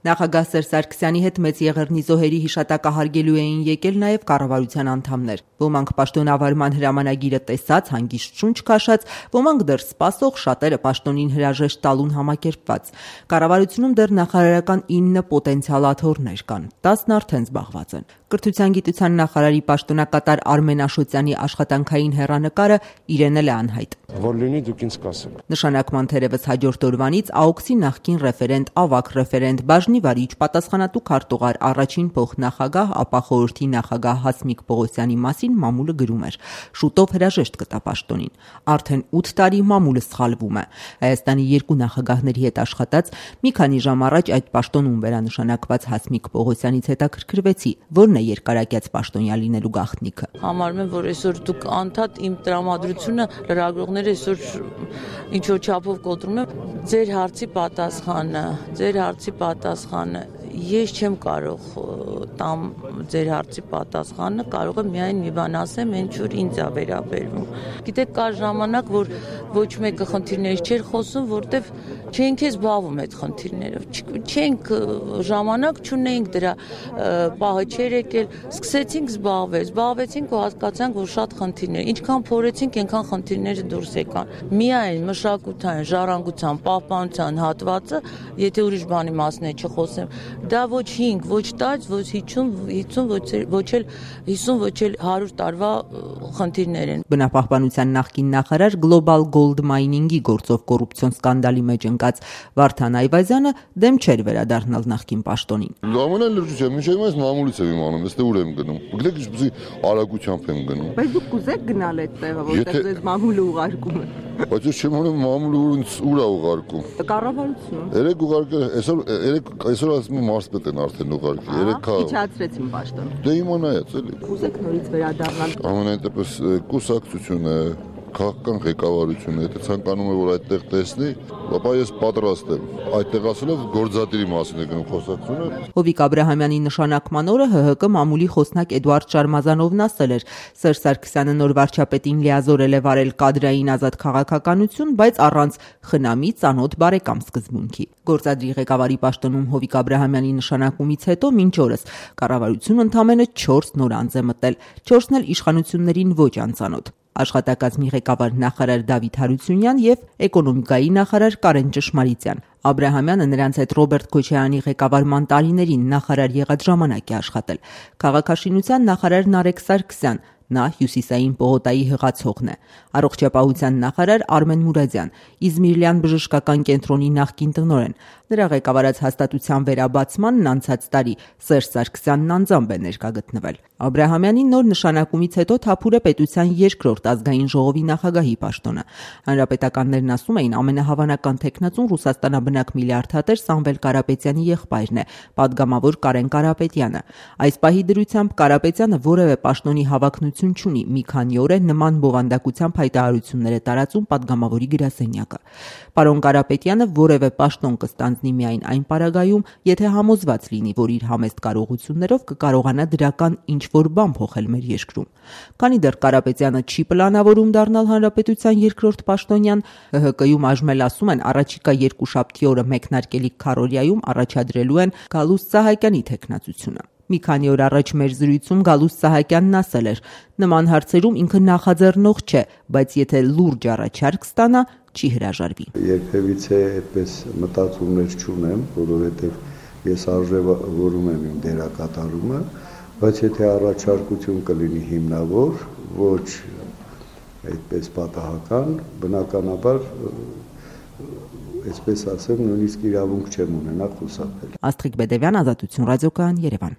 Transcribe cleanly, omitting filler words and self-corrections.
Նախագահ Սերժ Սարգսյանի հետ Մեծ Եղեռնի զոհերի հիշատակը հարգելու էին եկել նաև կառավարության անդամներ։ Ոմանք պաշտոնավարման հրամանագիրը տեսած, հանգիստ շունչ քաշած, ոմանք դեռ սպասող, շատերը պաշտոնին հրաժեշտ տալուն համակերպված։ Կառավարությունում դեռ նախարարական 9 պոտենցիալ աթոռներ կան, 10-ն արդեն զբաղված են։ Կրթության գիտության նախարարի պաշտոնակատար Արմեն Աշոտյանի աշխատանքային հեռանկարը իրեն էլ է անհայտ։ Որ լինի դուք ինձ կասեք։ Նշանակման թերևս հաջորդ օրվանից ԱՕՔՍ-ի նախկին ռեֆերենտ, ավագ ռեֆերենտ, բաժնի վարիչ, պատասխանատու քարտուղար, առաջին փոխնախագահ, ապա խորհրդի նախագահ Հասմիկ Պողոսյանի մասին մամուլը գրում էր. շուտով հրաժեշտ կտա պաշտոնին։ Արդեն 8 տարի մամուլը սխալվում է։ Հայաստանի 2 նախագահների հետ աշխատած մի քանի ժամ առաջ այդ պաշտոնում վերանշանակված Հասմիկ Պողոսյանից հետաքրքրվեցի, որն է երկարակյաց պաշտոնյա լինելու գաղտնիքը։ Համարում եմ, որ այսօր դուք անդադ իմ տրամադրությունը լրագրողները այսօր ինչ որ չափով կոտրում են։ Ձեր հարցի պատասխանը ես չեմ կարող տամ ձեր հարցի պատասխանը, կարող եմ միայն մի բան ասեմ, ինչ որ ինձ է վերաբերվում։ Գիտեք, կար ժամանակ, որ ոչ մեկը խնդիրներից չէր խոսում, որտեվ չենք զբաղվում այդ խնդիրներով, չենք ժամանակ չունեինք դրա պահը չէր եկել, սկսեցինք զբաղվեցինք ու հասկացանք, որ շատ խնդիրներ, ինչքան փորեցինք, այնքան խնդիրները դուրս եկան։ Միայն մշակութային, ժառանգության, պահպանության հատվածը, եթե ուրիշ բանի մասն է չխոսեմ, դա ոչ 5, ոչ 10, ոչ 50, ոչ էլ 100 տարվա խնդիրներ են։ Բնապահպանության նախկին նախարար Global Gold Mining-ի գործով կոռուպցիոն սկանդալի մեջ ընկած Վարդան Այվազյանը դեմ չէր վերադառնալ նախկին պաշտոնին։ Ամենայն լրջությամբ, մինչև այս մամուլից եմ իմանում, այստեղ ուր եմ գնում։ Գիտեք, ինչպեսի արագությամբ եմ գնում։ Բայց դուք կուզեք գնալ այդ տեղը, որտեղ ձեզ մամուլը ուղարկում է։ Բայց ես չեմ անում մամուլը ուր է ուղարկում։ Կառավարություն։ Երեք ուղարկել, այսօր ասում եմ մարզպետ են արդեն ուղարկել։ Երեք իջացրեցին պաշտոն։ Դե իմանայաց էլի։ Կուզեք նորից վերադառնալ։ Ամենայն դեպս կուսակցությունը, քաղաքական ղեկավարությունը, եթե ցանկանում է որ այդտեղ տեսնի, ապա ես պատրաստ եմ։ Այդտեղ ասելով գործադիրի մասին է գնում խոսակցությունը։ Հովիկ Աբրահամյանի նշանակման օրը ՀՀԿ մամուլի խոսնակ Էդուարդ Շարմազանովն ասել էր. Սերժ Սարգսյանը նոր վարչապետին լիազորել է վարել կադրային ազատ քաղաքականություն, բայց առանց խնամի, ծանոթ, բարեկամ սկզբունքի։ Գործադիրի ղեկավարի պաշտոնում Հովիկ Աբրահամյանի նշանակումից հետո մինչ օրս կառավարություն ընդամենը 4 նոր անձ է մտել, 4-ն էլ իշխանություններին ոչ անծանոթ։ Աշխատակազմի ղեկավար նախարար Դավիթ Հարությունյան եւ էկոնոմիկայի նախարար Կարեն Ճշմարիտյան։ Աբրահամյանը նրանց հետ Ռոբերտ Քոչարյանի ղեկավարման տարիներին նախարար եղած ժամանակ է աշխատել։ Քաղաքաշինության նախարար Նարեկ Սարգսյան, նա Հյուսիսային պողոտայի հղացողն է։ Առողջապահության նախարար Արմեն Մուրադյան, Իզմիրլյան բժշկական կենտրոնի նախկին տնօրեն։ Նրա ղեկավարած հաստատության վերաբացմանն անցած տարի Սերժ Սարգսյանն անձամբ է ներկա գտնվել։ Աբրահամյանի նոր նշանակումից հետո թափուր է պետության երկրորդ ազգային ժողովի նախագահի պաշտոնը։ Հանրապետականներն ասում էին ամենահավանական թեկնածուն Ռուսաստանաբնակ միլիարդատեր Սամվել Կարապետյանի եղբայրն է, պատգամավոր Կարեն Կարապետյանը։ Այս պահի դրությամբ Կարապետյանը որևէ պաշտոնի հավակնություն չունի, մի քանի օր է նման բովանդակությամբ հայտարարություններ է տարածում պատգամավորի գրասենյակը։ Պարոն Կարապետյանը որևէ պաշտոն կստանձնի միայն այն պարագայում, եթե համոզված լինի, որ իր համեստ կարողություններով կկարողանա դրական ինչ-որ բան փոխել մեր երկրում։ Քանի դեռ Կարապետյանը չի պլանավորում դառնալ հանրապետության երկրորդ պաշտոնյան, ՀՀԿ-ում այժմ ասում են առաջիկա երկուշաբթի օրը մեկնարկելիք քարոզիայում առաջադրելու են Գալուստ Սահակյանի թեկնածությունը։ Մի քանի օր առաջ մեր զրույցում Գալուստ Սահակյանն ասել էր. նման հարցերում ինքը նախաձեռնող չէ, բայց եթե լուրջ առաջարկ ստանա, չի հրաժարվի։ Երբևիցե այդպես մտածումներ չունեմ, որովհետև ես արժևորում եմ իմ դերակատարումը, բայց եթե առաջարկություն կլինի հիմնավոր, ոչ այդպես պատահական, բնականաբար այսպես ասեմ, նույնիսկ իրավունք չեմ ունենա խուսափել։ Աստղիկ Բեդևյան, Ազատություն ռադիոկայան, Երևան։